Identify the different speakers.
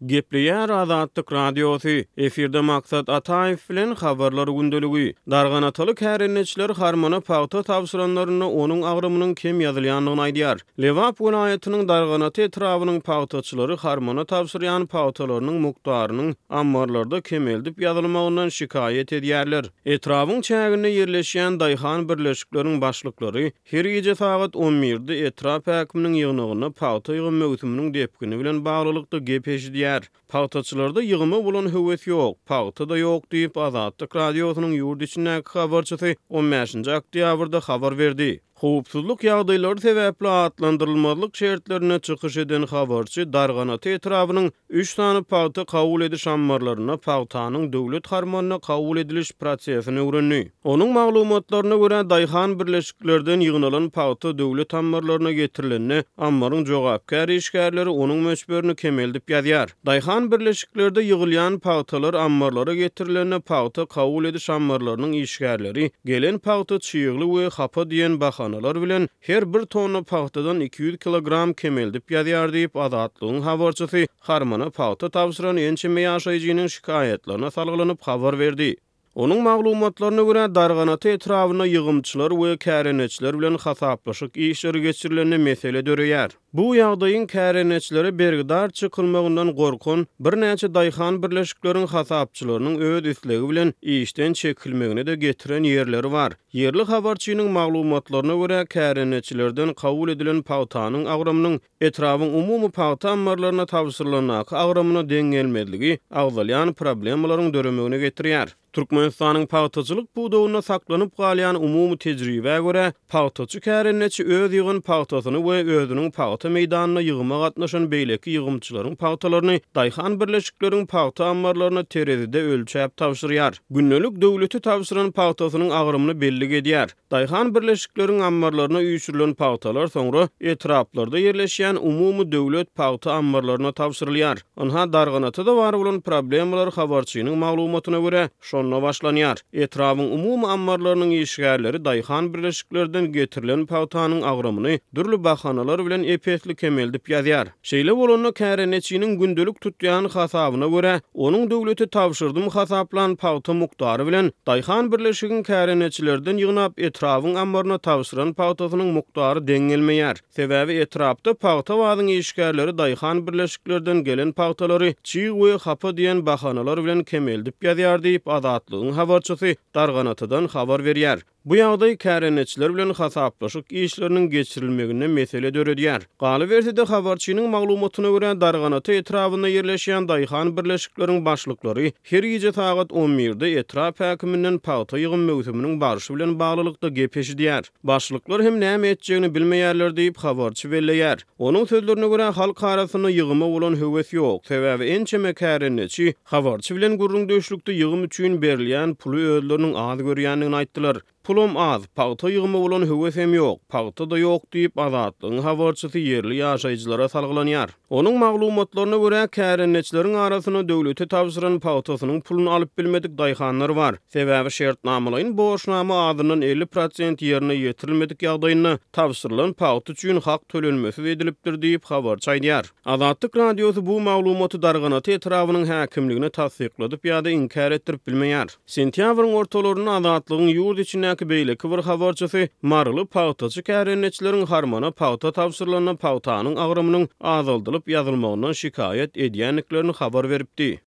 Speaker 1: Gepleýär Azatlyk Radiosy, efirde Maksat Ataýew bilen Habarlar gündeligi. Darganataly kärendeçiler harmana pagta tabşyranlarynda onuň agramynyň kem ýazylýandygyny aýdýar. Lebap welaýatynyň Darganata etrabynyň pagtaçylary harmana tabşyrýan pagtalarynyň mukdarynyň ammarlarda kemeldip ýazylmagyndan şikaýat edýärler. Etrabyň çäginde ýerleşýän daýhan birleşikleriň başlyklary Her gije sagat on birde etrap häkiminiň ýygnagynda pagta ýygym möwsüminiň depgini bilen baglylykda gep eşidýär. Pagtaçylarda ýygyma bolan höwes ýok, pagta-da ýok diýip, Azatlyk Radiosynyň ýurt içindäki habarçysy on bäşinji oktýabrda habar berdi. Howpsuzlyk ýagdaýlary sebäpli atlandyrylmazlyk şertlerinde çykyş eden habarçy Darganata etrabynyň Üç sany pagta kabul ediş ammarlarynda pagtanyň döwlet harmanyna kabul ediliş prosesini öwrendi. Onuň maglumatlaryna görä, daýhan birleşiklerden ýygnalan pagta döwlet ammarlaryna getirilende, ammaryň jogapkär işgärleri onuň möçberini kemeldip ýazýar. Daýhan birleşiklerde ýygylýan pagtalar ammarlara getirilende, pagta kabul ediş ammarlarynyň işgärleri gelen pagta çygly we hapa diýen bahanalar bilen Her bir tonna pagtadan 200 kilogram kemeldip ýazýar diýip, Azatlygyň habarçysy harmana pagta tabşyran ençeme ýaşaýjynyň şikaýatlaryna salgylanyp habar berdi. Onuň maglumatlaryna görä, Darganata etrabynda ýygymçylar we kärendeçiler bilen hasaplaşyk işleri geçirilende mesele döreýär. Bu ýagdaýyň kärendeçilere bergidar çykylmagyndan gorkan birnäçe daýhan birleşikleriň hasapçylarynyň öz islegi bilen işden çekilmegine-de getiren ýerleri bar. Ýerli habarçynyň maglumatlaryna görä, kärendeçilerden kabul edilen pagtanyň agramynyň etrabyň umumy pagta ammarlaryna tabşyrylandaky agramyna deň gelmezligi agzalýan problemalaryň döremegine getirýär. Türkmenistanyň pagtaçylyk pudagynda saklanyp galýan umumy tejribä görä, pagtaçy kärendeçi öz ýygan pagtasyny we özüniň pagta meýdanynda ýygyma gatnaşan beýleki ýygymçylaryň pagtalaryny daýhan birleşikleriň pagta ammarlaryna terezide ölçäp tabşyrýar. Gündelik döwlete tabşyran pagtasynyň agramyny bellik edýär. Daýhan birleşikleriň ammarlaryna üýşürilen pagtalar soňra etraplarda ýerleşýän umumy döwlet pagta ammarlaryna tabşyrylýar. Ynha, Darganatada bar bolan problemalar habarçynyň maglumatyna görä, şonda başlanýar. Etrabyň umumy ammarlarynyň işgärleri daýhan birleşiklerden getirilen pagtanyň agramyny dürli bahanalar bilen ep-esli kemeldip ýazýar. Şeýle bolanda kärendeçiniň gündelik tutýan hasabyna görä, onuň döwlete tabşyrdym hasaplan pagta mukdary bilen daýhan birleşigiň kärendeçilerden ýygnap etrabyň ammaryna tabşyran pagtasynyň mukdary deň gelmeýär. Sebäbi etrapda pagta bazyň işgärleri daýhan birleşiklerden gelen pagtalary çig we hapa diýen bahanalar bilen kemeldip ýazýar diýip, Azatlygyň habarçysy Darganatadan habar berýär. Bu ýagdaý kärendeçiler bilen hasaplaşyk işleriniň geçirilmeginde mesele döredýär. Galyberse-de, habarçynyň maglumatyna görä, Darganata etrabynda ýerleşýän daýhan birleşikleriň başlyklary her gije sagat on birde etrap häkiminden pagta ýygym möwsüminiň barşy bilen baglylykda gep eşidýär. Başlyklar hem näme etjegini bilmeýärler diýip, habarçy belleýär. Onuň sözlerine görä, halk arasynda ýygyma bolan höwes ýok, sebäbi ençeme kärendeçi habarçy bilen gürrüňdeşlikde ýygym üçin berilýän puly özleriniň az görýändigini aýtdylar. Pulam az, pagta ýygyma bolan höwes hem ýok, pagta-da ýok diýip, Azatlygyň habarçysy ýerli ýaşaýjylara salgylanýar. Onuň maglumatlaryna görä, kärendeçileriň arasynda döwlete tabşyran pagtasynyň puluny alyp bilmedik daýhanlar bar. Sebäbi şertnamalaýyn borçnama azyndan 50 prosent ýerine ýetirilmedik ýagdaýynda tabşyrylan pagta üçin hak tölenmesiz edilipdir diýip, habarçy aýdýar. Azatlyk Radiosy bu maglumaty Darganata etrabynyň häkimligine tassykladyp ýa-da inkär etdirip bilmeýär. Sentýabryň ortalarynda Azatlygyň ýurt içindäki beýleki bir habarçysy maryly pagtaçy kärendeçileriň harmana pagta tabşyrylanda pagtanyň agramynyň azaldylyp ýazylmagyndan şikaýat edýändiklerini habar beripdi.